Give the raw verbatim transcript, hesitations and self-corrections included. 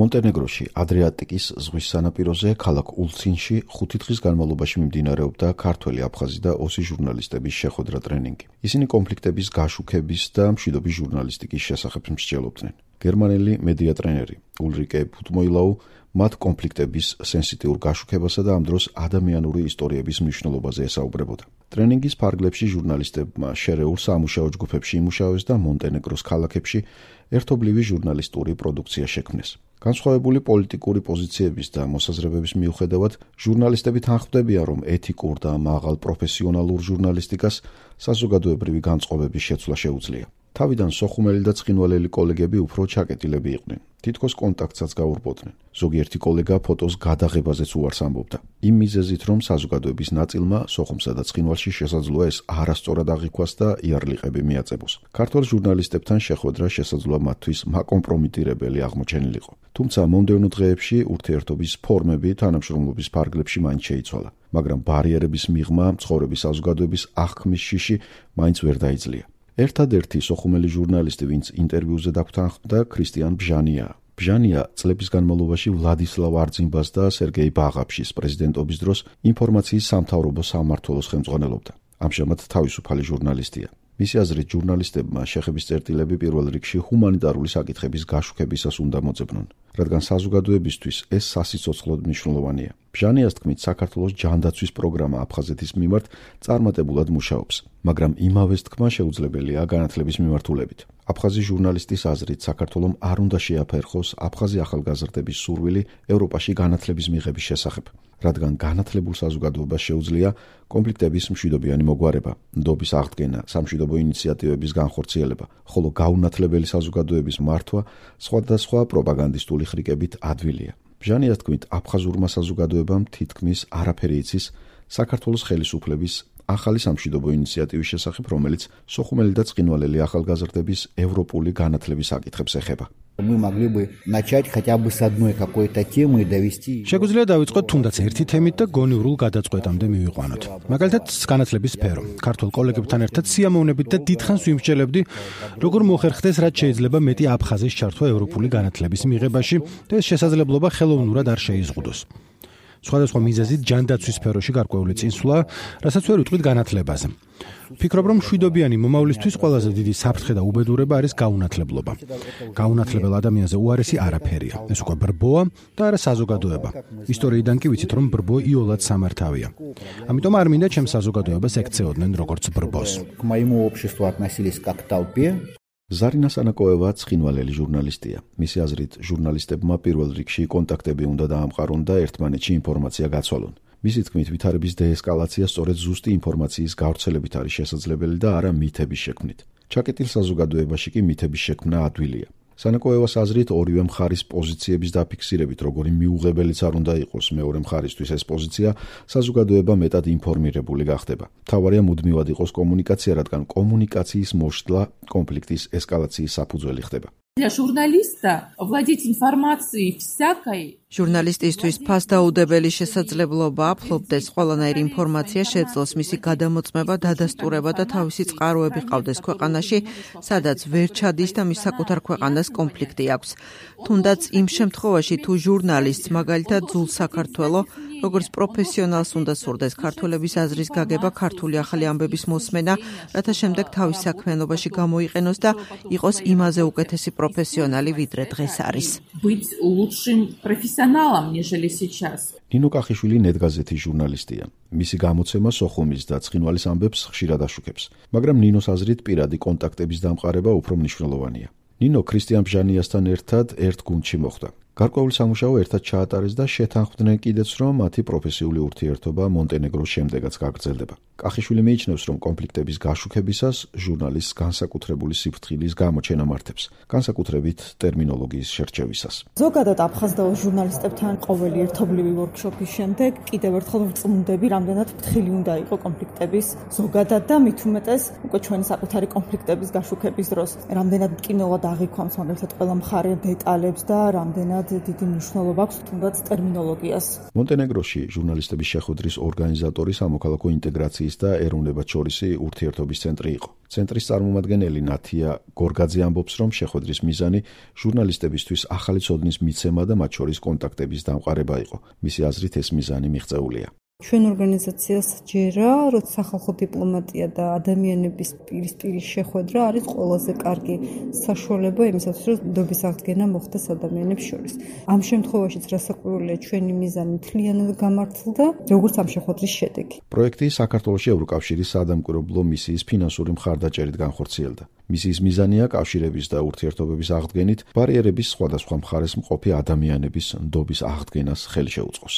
მონტენეგროში, ადრიატიკის ზღვის სანაპიროზე, ქალაქ ულცინში ხუთი დღის განმავლობაში მიმდინარეობდა ქართველი, აფხაზი და ოსი ჟურნალისტების შეხვედრა ტრენინგი. ისინი კონფლიქტების გაშუქების და მშვიდობის ჟურნალისტიკის შესახებ მსჯელობდნენ. გერმანელი მედია ტრენერი ულრიკე ფუტმოილაუ მათ კონფლიქტების სენსიტიურ გაშუქებასა და ამ დროს ადამიანური ისტორიების მნიშვნელობაზე ესაუბრებოდა. ტრენინგის ფარგლებში ჟურნალისტებმა შერეულ სამუშაო ჯგუფებში იმუშავეს და მონტენეგროს ქალაქებში ერთობლივი ჟურნალისტური პროდუქცია შექმნეს. განსხვავებული პოლიტიკური პოზიციების და მოსაზრებების მიუხედავად, ჟურნალისტები თანხმდებიან, რომ ეთიკურ და მაღალ პროფესიონალურ ჟურნალისტიკას საზოგადოებრივი განწყობების შეცვლა შეუძლია. თავიდან სოხუმელი და ცხინვალელი კოლეგები უფრო ჩაკეტილები იყვნენ. თითქოს კონტაქტსაც გაურბოდნენ. ზოგიერთი კოლეგა ფოტოს გადაღებაზეც უარს ამბობდა. იმ მიზეზით, რომ საზოგადოების ნაწილმა სოხუმსა და ცხინვალში შესაძლოა ეს არასწორად აღიქვას და იარლიყები მიაწებოს. ქართველ ჟურნალისტებთან შეხვედრა შესაძლოა მათთვის მაკომპრომიტირებელი აღმოჩენილიყო. თუმცა მომდევნო დღეებში ურთიერთობის ფორმები თანამშრომლობის ფარგლებში მაინც შეიცვალა, მაგრამ ბარიერების მიღმა ცხოვრების საზოგადოების აღქმის შიში მაინც ვერ დაიძლია. ერთადერთი სოხუმელი ჟურნალისტი, ვინც ინტერვიუზე დაგვრთანხმდა, ქრისტიან ბჟანია. ბჟანია წლების განმავლობაში ვლადისლავ არძიმბას და სერგეი ბაღაფშის პრეზიდენტობის დროს ინფორმაციის სამთავრობო სამმართველოს ხელმძღვანელობდა. ამჟამად თავისუფალი ჟურნალისტია. მისი აზრით, ჟურნალისტებმა შეხების წერტილები პირველ რიგში ჰუმანიტარული საკითხების გაშუქებისას უნდა მოძებნონ, რადგან საზოგადოებისთვის ეს სასიცოცხლოდ მნიშვნელოვანია. ბჟანიას თქმით, საქართველოს ჯანდაცვის პროგრამა აფხაზეთის მიმართ წარმატებულად მუშაობს, მაგრამ იმავეს თქმა შეუძლებელია განათლების მიმართულებით. აფხაზი ჟურნალისტის აზრით, საქართველომ არ უნდა შეაფერხოს აფხაზი ახალგაზრდების სურვილი ევროპაში განათლების მიღების შესახებ, რადგან განათლებულ საზოგადოებას შეუძლია კონფლიქტების მშვიდობიანი მოგვარება, ნდობის აღდგენა, სამშვიდობო ინიციატივების განხორციელება, ხოლო გაუნათლებელი საზოგადოების მართვა სხვადასხვა პროპაგანდისტული ხრიკებით ადვილია. ბჟანიას თქმით, აფხაზურმა საზოგადოებამ თითქმის არაფერი იცის საქართველოს ხელისუფლების ახალი სამშვიდობო ინიციატივის შესახებ, რომელიც სოხუმელი და ცხინვალელი ახალგაზრდების ევროპული განათლების საკითხებს ეხება. Мы могли бы начать хотя бы с одной какой-то темы и довести. Შეგვიძლია დავიწყოთ თუნდაც ერთი თემით და გონივრულ გადაწყვეტამდე მივიყვანოთ. მაგალითად, განათლების სფერო. ქართულ კოლეგებთან ერთად სიამოვნებით და დიდხანს ვიმსჯელებდი, როგორ მოხერხდეს, რაც შეიძლება მეტი აფხაზის ჩართვა ევროპული განათლების მიღებაში და ეს შესაძლებლობა ხელოვნურად არ შეიზღუდოს. სხვადასხვა მიზეზით ჯანდაცვის სფეროში გარკვეული წინსვლა, რასაც ვერ ვიტყვით განათლებაზე. ვფიქრობ, რომ მშვიდობიანი მომავლისთვის ყველაზე დიდი საფრთხე და უბედურება არის გაუნათლებლობა. გაუნათლებელ ადამიანზე უარესი არაფერია. ეს უკვე ბრბოა და არა საზოგადოება. ისტორიიდან კი ვიცით, რომ ბრბო იოლად სამართავია. ამიტომ არ მინდა ჩემს საზოგადოებას ექცეოდნენ როგორც ბრბოს. К моему обществу относились как к толпе. ზარინა სანაკოევა ცხინვალელი ჟურნალისტია. მისი აზრით, ჟურნალისტებმა პირველ რიგში კონტაქტები უნდა დაამყარონ და ერთმანეთში ინფორმაცია გაცვალონ. მისი თქმით, ვითარების დეესკალაცია სწორედ ზუსტი ინფორმაციის გავრცელებით არის შესაძლებელი და არა მითების შექმნით. ჩაკეტილ საზოგადოებაში კი მითების შექმნა ადვილია. სანაკოევას აზრით, ორივე მხარის პოზიციების დაფიქსირებით, როგორი მიუღებელიც არ უნდა იყოს მეორე მხარისთვის ეს პოზიცია, საზოგადოება მეტად ინფორმირებული გახდება. მთავარია მუდმივად იყოს კომუნიკაცია, რადგან კომუნიკაციის მოშლა კონფლიქტის ესკალაციის საფუძველი ხდება. Для журналиста владеть информацией всякой ჟურნალისტისთვის ფასდაუდებელი შესაძლებლობა აფლობდეს ყველანაირ ინფორმაცია შეძლოს მისი გადამოწმება, დადასტურება და თავისი წყაროები ყავდეს ქვეყანაში, სადაც ვერ ჩადის და მის საკუთარ ქვეყანას კონფლიქტი აქვს. თუნდაც იმ შემთხვევაში, თუ ჟურნალისტს მაგალითად ძულ საქართველო, როგორც პროფესიონალს უნდა სურდეს ქართველების აზრის გაგება, ქართული ახალი ამბების მოსმენა, რათა შემდეგ თავის საქმიანობაში გამოიყენოს და იყოს იმაზე უკეთესი პროფესიონალი, ვიდრე დღეს არის. быть лучшим профессионалом, нежели сейчас. ნინო კახიშვილი ნეტგაზეთის ჟურნალისტია. მისი გამოცემა სოხუმის და ცხინვალის ამბებს ხშირად აშუქებს, მაგრამ ნინოს აზრით პირადი კონტაქტების დამყარება უფრო მნიშვნელოვანია. ნინო ქრისტიან ბჟანიასთან ერთად ერთ გუნდში მოხვდა. გარკვეული სამუშაო ერთად ჩაატარეს და შეთანხმდნენ კიდეც, რომ მათი პროფესიული ურთიერთობა მონტენეგროს შემდეგაც გაგრძელდება. კახიშვილი მიიჩნევს, რომ კონფლიქტების გაშუქებისას ჟურნალისტს განსაკუთრებული სიფრთხილის გამოჩენა მართებს, განსაკუთრებით ტერმინოლოგიის შერჩევისას. ზოგადად აფხაზდაოს ჟურნალისტებთან ყოველი ერთობლივი ვორქშოპის შემდეგ კიდევ ერთხელ ვწმუნდები, რამდენად ფრთხილი უნდა იყო კონფლიქტების ზოგადად და მით უმეტეს უკვე ჩვენი საკუთარი კონფლიქტების გაშუქების დროს, რამდენად მტკივნეულად აღიქვამს მაგალითად ყველა მხარე დეტალებს და რამდენად დიდი მნიშვნელობა აქვს თუნდაც ტერმინოლოგიას. მონტენეგროში ჟურნალისტების შეხვედრის ორგანიზატორი სამოქალაქო ინტეგრაციის და ეროვნებათშორისი ურთიერთობის ცენტრი იყო. ცენტრის წარმომადგენელი ნათია გორგაძე ამბობს, რომ შეხვედრის მიზანი ჟურნალისტებისთვის ახალი ცოდნის მიცემა და მათ შორის კონტაქტების დამყარება იყო. მისი აზრით ეს მიზანი მიღწეულია. ჩვენ ორგანიზაციას ჯერა, რომ სახალხო დიპლომატია და ადამიანების პირისპირი შეხვედრა არის ყველაზე კარგი საშუალება იმისათვის, რომ ნდობის აღდგენა მოხდეს ადამიანებს შორის. ამ შემთხვევაშიც რასაკვირველია, ჩვენი მიზანი მთლიანად გამართლდა, როგორც ამ შეხვედრის შედეგი. პროექტი საქართველოში ევროკავშირის საადამკვირვებლო მისიის ფინანსური მხარდაჭერით განხორციელდა. მისიის მიზანია კავშირების და ურთიერთობების აღდგენით ბარიერების სხვადასხვა მხარეს მყოფი ადამიანების ნდობის აღდგენას ხელი შეუწყოს.